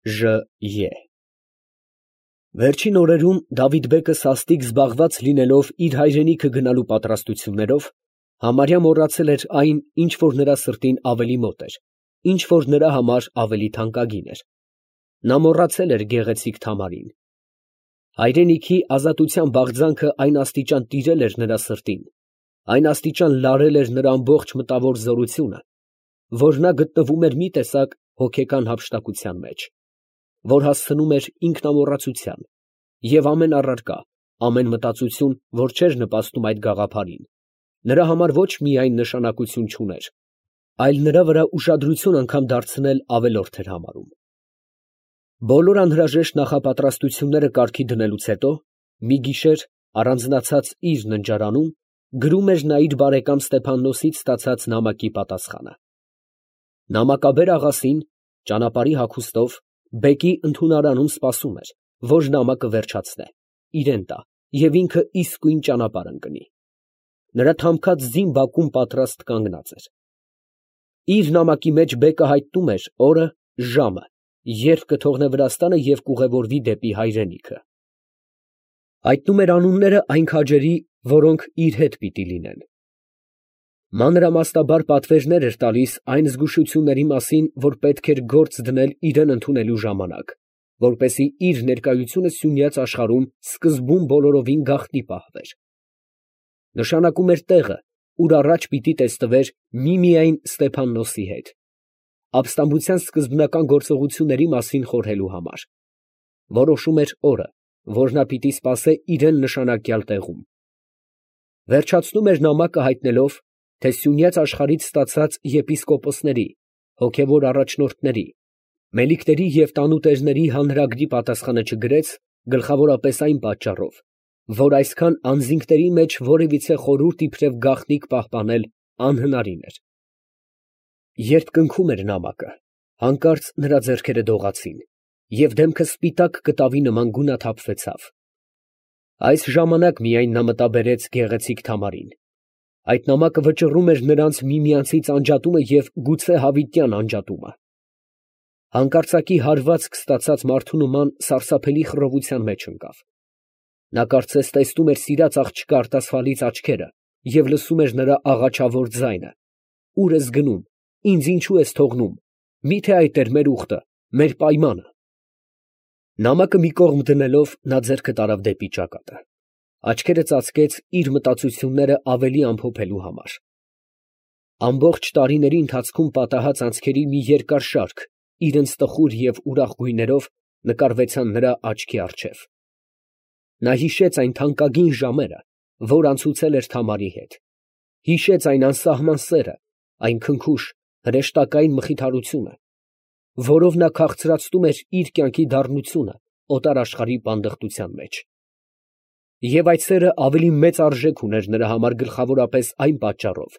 Ժ. Վերջին օրերում Դավիթ֊բեկը սաստիկ զբաղված լինելով իր հայրենիքը գնալու պատրաստություններով, համարյա մոռացել էր այն, ինչ որ նրա սրտին ավելի մոտ էր, ինչ որ նրա համար ավելի թանկագին էր. նա մոռացել էր գեղեցիկ Թամարին։ Հայրենիքի ազատության բաղձանքը այն աստիճան տիրել էր նրա սրտին, այն աստիճան լարել էր նրա ամբողջ մտավոր զորությունը, որ նա գտնվում էր մի տեսակ հոգեկան հափշտակության մեջ, որ հասցնում էր ինքնամոռացության, և ամեն առարկա, ամեն մտածություն, որ չէր նպաստում այդ գաղափարին, նրա համար ոչ միայն նշանակություն չուներ, այլ նրա վրա ուշադրություն անգամ դարձնել ավելորդ էր համարում։ Բոլոր անհրաժեշտ նախապատրաստությունները կարգի դնելուց հետո, մի գիշեր, առանձնացած իր ննջարանում, գրում էր նա իր բարեկամ Ստեփաննոսից ստացած նամակի պատասխանը։ Նամակաբեր աղասին, ճանապարհի հագուստով, բեկի ընդունարանում սպասում էր, որ նամակը վերջացնե, իրան տա և ինքը իսկույն ճանապարհ ընկնի։ Նրա թամքած ձին բակում պատրաստ կանգնած էր։ Իր նամակի մեջ բեկը հայտնում էր օրը, ժամը, երբ կթողնե Վրաստանը և կուղևորվի դեպի հայրենիքը։ Հայտնում էր անունները այն քաջերի, որոնք իր հետ պիտի լինեն։ Մանրամասնաբար պատվերներ էր տալիս այն զգուշությունների մասին, որ պետք էր գործ դնել իրան ընդունելու ժամանակ, որպեսզի իր ներկայությունը սյունյաց աշխարհում սկզբում բոլորովին գաղտնի պահվեր։ Նշանակում էր տեղը, ուր առաջ պիտի տեսնվեր միմիայն Ստեփաննոսի հետ, ապստամբության սկզբնական գործողությունների մասին խորհելու համար։ Որոշում էր օրը, որ նա պիտի սպասե իրան նշանակյալ տեղում։ Վերջացնում էր նամակը հայտնելով, թե սյունյաց աշխարհից ստացած եպիսկոպոսների, հոգևոր առաջնորդների, մելիքների և տանուտերների հանրագրի պատասխանը չգրեց, գլխավորապես այն պատճառով, որ այսքան անձինքների մեջ որևիցե խորհուրդ իբրև գաղտնիք պահպանել անհնարին էր։ Երբ կնքում էր նամակը, հանկարծ նրա ձեռքերը դողացին, և դեմքը սպիտակ կտավի նման գունաթափվեցավ։ Այս ժամանակ միայն նա մտաբերեց գեղեցիկ Թամարին։ Այդ նամակը վճռում էր նրանց միմյանցից անջատումը և գուցե հավիտյան անջատումը։ Հանկարծակի հարվածք ստացած մարդու նման սարսափելի խռովության մեջ ընկավ։ Նա կարծես տեսնում էր սիրած աղջկա արտասվալից աչքերը և լսում էր նրա աղաչավոր ձայնը. «Ո՞ւր ես գնում, ինձ ինչո՞ւ ես թողնում, մի՞թե այդ էր մեր ուխտը, մեր պայմանը»։ Նամակը մի կողմ դնելով, նա ձեռքը տարավ դեպի ճակատը, աչքերը ծածկեց իր մտածությունները ավելի ամփոփելու համար։ Ամբողջ տարիների ընթացքում պատահած անցքերի մի երկար շարք իրենց տխուր և ուրախ գույներով նկարվեցան նրա աչքի առջև։ Նա հիշեց այն թանկագին ժամերը, որ անցուցել էր Թամարի հետ, հիշեց այն անսահման սերը, այն քնքուշ, հրեշտակային մխիթարությունը, որով նա քաղցրացնում էր իր կյանքի դառնությունը օտարաշխարհի պանդխտության մեջ։ Եվ այդ սերը ավելի մեծ արժեք ուներ նրա համար գլխավորապես այն պատճառով,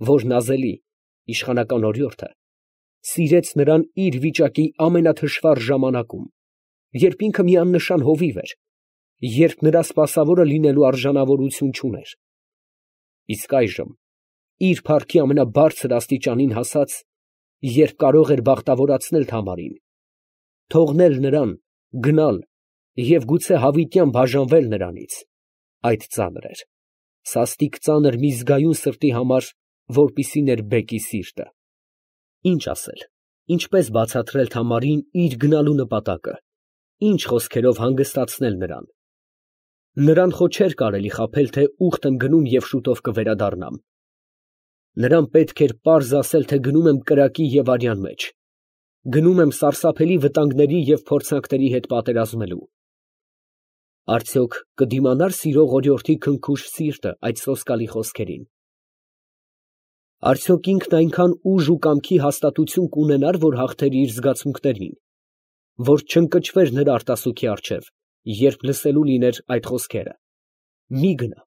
որ նազելի, իշխանական օրիորդը սիրեց նրան իր վիճակի ամենաթշվառ ժամանակում, երբ ինքը մի աննշան հովիվ էր, երբ նրա սպասավորը լինելու արժանավորություն չուներ։ Իսկ այժմ, իր փառքի ամենաբարձր աստիճանին հասած, երբ կարող էր բախտավորացնել Թամարին, թողնել նրան, գնալ և գուցե հավիտյան բաժանվել նրանից, այդ ծանր էր, սաստիկ ծանր մի զգայուն սրտի համար, որպիսին էր բեկի սիրտը։ Ինչ ասել, ինչպես բացատրել Թամարին իր գնալու նպատակը, ինչ խոսքերով հանգստացնել նրան։ Նրան խո չէր կարելի խաբել, թե ուխտ եմ գնում և շուտով կվերադառնամ։ Նրան պետք էր պարզ ասել, թե գնում եմ կրակի և արյան մեջ, գնում եմ սարսափելի վտանգների և փորձանքների հետ պատերազմելու։ Արդյոք կդիմանա՞ր սիրող օրիորդի քնքուշ սիրտը այդ սոսկալի խոսքերին։ Արդյոք ինքն այնքան ուժ ու կամքի հաստատություն կունենա՞ր, որ հաղթեր իր զգացմունքներին, որ չընկճվեր նրա արտասուքի առջև, երբ լսելու լիներ այդ խոսքերը. «Մի գնա,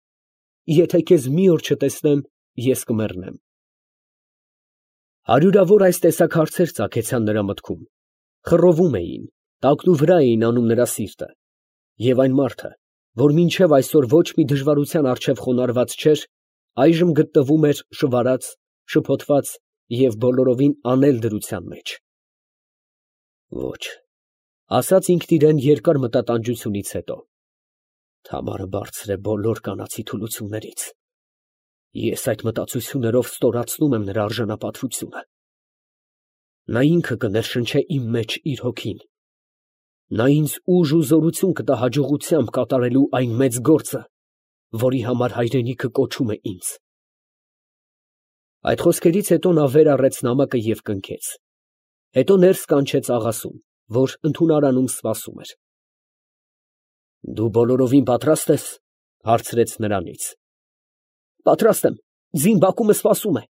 եթե քեզ մի օր չտեսնեմ, ես կմեռնեմ»։ Հարյուրավոր այս տեսակ հարցեր ծագեցան նրա մտքում, խռովում էին, տակնուվրա էին անում նրա սիրտը, և այն մարդը, որ մինչև այսօր ոչ մի դժվարության առջև խոնարհված չէր, այժմ գտնվում էր շվարած, շփոթված և բոլորովին անել դրության մեջ։ Ոչ, Ասաց ինքն իրեն երկար մտատանջությունից հետո. Թամարը բարձր է բոլոր կանացի թուլություններից։ Ես այդ մտածություններով ստորացնում եմ նրա արժանապատվությունը։ Նա ինքը կներշնչե իմ մեջ իր հոգին։ Նա ինձ ուժ ու զորություն կտա հաջողությամբ կատարելու այն մեծ գործը, որի համար հայրենիքը կոչում է ինձ։ Այդ խոսքերից հետո նա վեր առեց նամակը և կնքեց։ Հետո ներս կանչեց աղասուն, որ ընդունարանում սպասում էր։ Դու բոլորովին պատրաստ ես, հարցրեց նրանից։ Պատրաստ եմ, ձին բակումը սպասում է,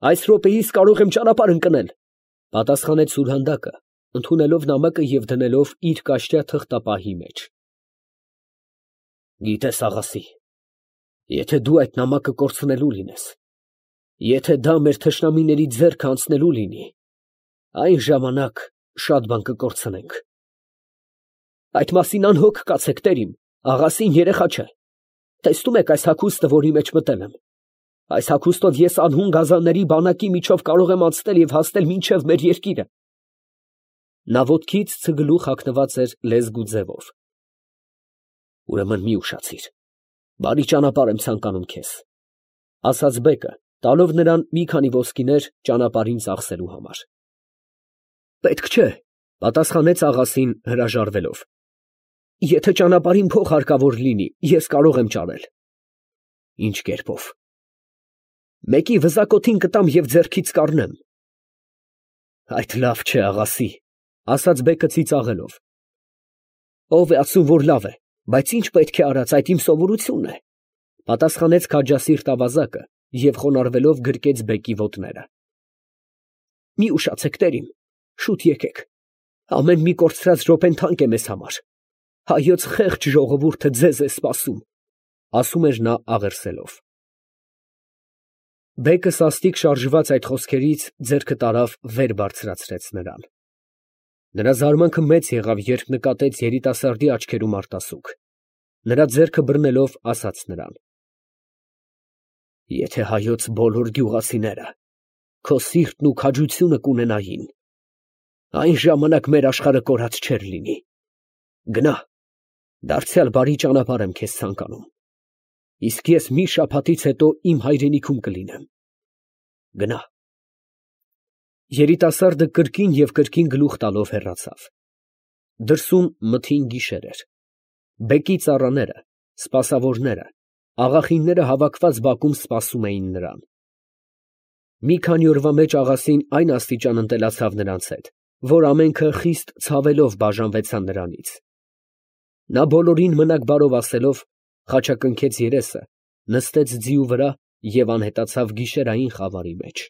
այս րոպեիս կարող եմ ճանապարհ ընկնել, պատասխանեց սուրհանդակը, ընդունելով նամակը և դնելով իր կաշյա թղթապահի մեջ։ Գիտես, աղասի, եթե դու այդ նամակը կորցնելու լինես, եթե դա մեր թշնամիների ձեռքը անցնելու լինի, այն ժամանակ շատ բան կկորցնենք։ Այդ մասին անհոգ կացեք, տերիմ, աղասին երեխա չէ։ Տեսնում եք այս հագուստը, որի մեջ մտել եմ։ Այս հագուստով ես անհուն գազանների բանակի միջով կարող եմ անցնել և հասնել մինչև մեր երկիրը։ Նա ոտքից ցգլուխ հագնված էր լեզգու ձևով։ Ուրեմն մի ուշացիր, բարի ճանապարհ եմ ցանկանում քեզ, ասաց բեկը, տալով նրան մի քանի ոսկիներ ճանապարհին ծախսելու համար։ Պետք չէ, պատասխանեց աղասին հրաժարվելով։ Եթե ճանապարհին փող հարկավոր լինի, ես կարող եմ ճարել։ Ինչ կերպով։ Մեկի վզակոթին կտամ և ձեռքից կառնեմ։ Այդ լավ չէ, աղասի, ասաց բեկը ծիծաղելով։ Ով է ասում, որ լավ է, բայց ինչ պետք է արած, այդ իմ սովորությունն է, պատասխանեց քաջասիրտ ավազակը և խոնարհվելով գրկեց բեկի ոտները։ Մի ուշացեք, տերիմ, շուտ եկեք, ամեն մի կորցրած րոպեն թանկ է մեզ համար, հայոց խեղճ ժողովուրդը ձեզ է սպասում, ասում էր նա աղերսելով։ Բեկը սաստիկ շարժված այդ խոսքերից ձեռքը տարավ վեր բարձրացրեց նրան։ Նրա զարմանքը մեծ եղավ, երբ նկատեց երիտասարդի աչքերում արտասուք։ Նրա ձեռքը բռնելով ասաց նրան. Եթե հայոց բոլոր գյուղացիները քո սիրտն ու քաջությունը կունենային, այն ժամանակ մեր աշխարհը կորած չէր լինի։ Գնա, դարձյալ բարի ճանապարհ եմ քեզ ցանկանում։ Իսկ ես մի շաբաթից հետո իմ հայրենիքում կլինեմ։ Գնա։ Երիտասարդը կրկին և կրկին գլուխ տալով հեռացավ։ Դրսում մթին գիշեր էր։ Բեկի ծառաները, սպասավորները, աղախինները հավաքված բակում սպասում էին նրան։ Մի քանի օրվա մեջ աղասին այն աստիճան ընտելացավ նրանց հետ, որ ամենքը խիստ ցավելով բաժանվեցան նրանից։ Նա բոլորին մնաք բարով ասելով, խաչակնքեց երեսը, նստեց ձիու վրա և անհետացավ գիշերային խավարի մեջ։